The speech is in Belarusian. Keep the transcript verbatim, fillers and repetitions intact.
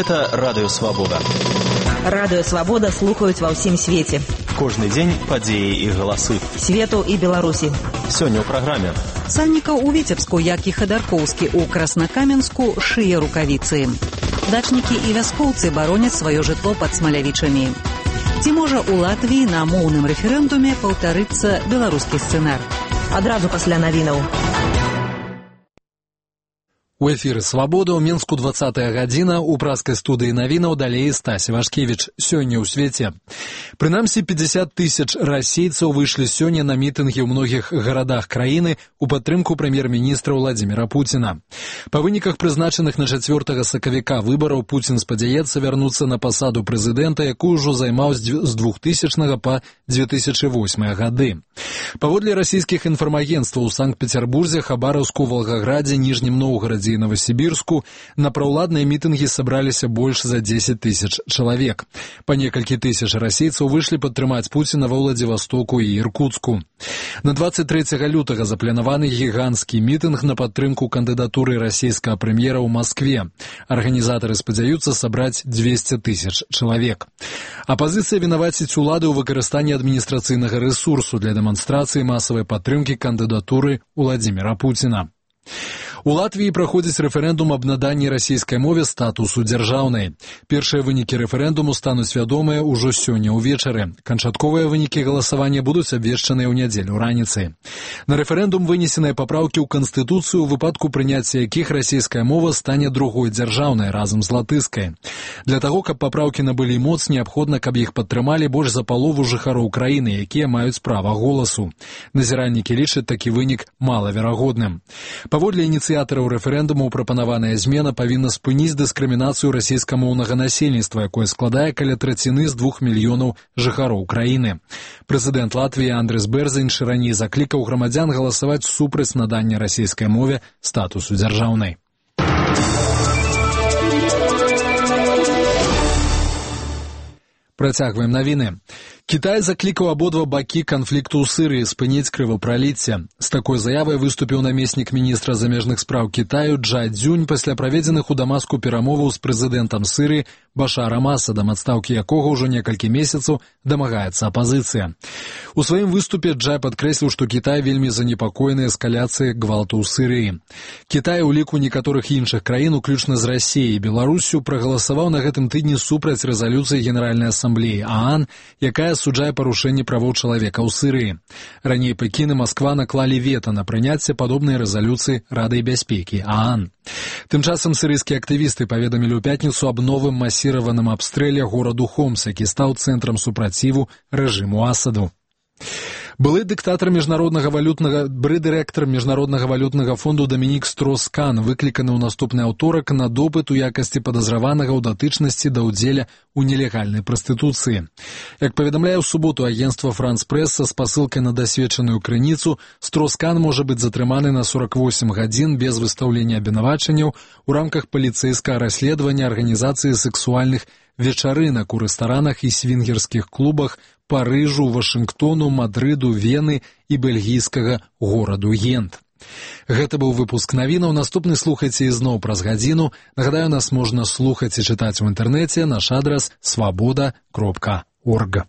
Гэта Радыё Свабода. Радыё Свабода слухаюць ва ўсім свеце. Кожны дзень падзеі і галасы. Свету і Беларусі. Сёння ў праграме. Сальнікаў у Віцебску, як і Хадаркоўскі ў Краснакаменску, шые рукавіцы. Дачнікі і вяскоўцы бароняць сваё жытло пад Смалявічамі. Ці можа ў Латвіі на моўным рэферэндуме паўтарыцца беларускі сцэнар? Адразу пасля навінаў. У эфіры «Свабода» ў Мінску двадцатая гадзіна, у праскай студыі навінаў далей Стась Івашкевіч. Сёння ў свеце. Прынамсі пятьдесят тысяч расейцаў выйшлі сёння на мітынгі ў многіх гарадах краіны у падтрымку прэм'ер-міністра Владзіміра Пуціна. Па выніках прызначаных на чацвёртага сакавіка выбараў Пуцін спадзяецца вярнуцца на пасаду прэзідэнта, якую ўжо займаў з двухтысячнага па две тысячы восьмы гады. Паводле расійскіх інфармагенцтваў у Санкт-Петербурзе, Хабаровску, Волгограде, Ніжнім Новгарадзе і Новосибирску на праўладныя мітынгі сабраліся больш за дзесяць тысяч чалавек. Па некалькі тысяч расейцаў выйшлі падтрымаць Пуціна ва Владзівастоку і Іркуцку. На двадцать трэцяга лютага запланаваны гіганцкі мітынг на падтрымку кандыдатуры расійскага прэм'ера ў Маскве. Арганізатары спадзяюцца сабраць двесце тысяч чалавек. Апазіцыя вінаваціць улады ў выкарыстанні адміністрацыйнага рэсурсу для дэманстрацыі масавай падтрымкі кандыдатуры Владзіміра Пуціна. У Латвіі праходзіць рэферэндум аб наданні расійскай мове статусу дзяржаўнай. Першыя вынікі рэферэндуму стануць вядомыя ўжо сёння ўвечары. Канчатковыя вынікі галасавання будуць абвешчаныя ў нядзелю раніцай. На рэферэндум вынесеныя папраўкі ў Канстытуцыю, у выпадку прыняцця якіх расійская мова стане другой дзяржаўнай разам з латышскай. Для таго, каб папраўкі набылі моц, неабходна, каб іх падтрымалі больш за палову жыхароў краіны, якія маюць права голасу. Назіраннікі лічаць такі вынік малаверагодным. Паводле ініцыятараў рэферэндуму прапанаваная змена павінна спыніць дыскрымінацыю расійскамоўнага насельніцтва, якое складае каля траціны з двух мільёнаў жыхароў краіны. Прэзідэнт Латвіі Андрыс Бэрзіч раней заклікаў грамадзян галасаваць супраць надання расійскай мове статусу дзяржаўнай. Працягваем навіны. Кітай заклікаў абодва бакі канфлікту ў Сырыі спыніць крывапраліцце. З такой заявай выступіў намеснік міністра замежных спраў Кітаю Джа Цзюнь пасля праведзеных у Дамаску перамоваў з прэзідэнтам Сырыі Башарам Асадам, адстаўкі якога ўжо некалькі месяцаў дамагаецца апазіцыя. У сваім выступе Джа падкрэсліў, што Кітай вельмі занепакоены эскаляцыяй гвалту ў Сырыі. Кітай у ліку некаторых іншых краін, уключна з Расіяй і Беларуссю, прагаласаваў на гэтым тыдні супраць рэзалюцыі Генеральнай асамблеі ААН, якая асуджае парушэнне правоў чалавека ў Сырыі. Раней Пекін і Масква наклалі вета на прыняцце падобнай рэзалюцыі Рады бяспекі ААН. Тым часам сырыйскія актывісты паведамілі ў пятніцу аб новым масіраваным абстрэле гораду Хомс, які стаў цэнтрам супраціву рэжыму Асаду. Былы дыктатар міжнароднага валютнага бры-дырэктар міжнароднага валютнага фонду Дамінік Строс-Кан выкліканы ў наступны аўторак на допыт у якасці падазраванага ў датычнасці да ўдзеля ў нелегальнай прастытуцыі. Як паведамляе ў суботу агенцтва Франс-Прэс са спасылкай на дасведчаную крыніцу, Строс-Кан можа быць затрыманы на сорок восемь гадзін без выстаўлення абвінавачанняў у рамках паліцэйскага расследавання арганізацыі сэксуальных вечарынак у рэстаранах і свінгерскіх клубах Парыжу, Вашынгтону, Мадрыду, Вены і бельгійскага гораду Гент. Гэта быў выпуск навінаў. Наступны слухайце ізноў праз гадзіну. Нагадаю, нас можна слухаць і чытаць у інтэрнэце. Наш адрас свабода кропка орг.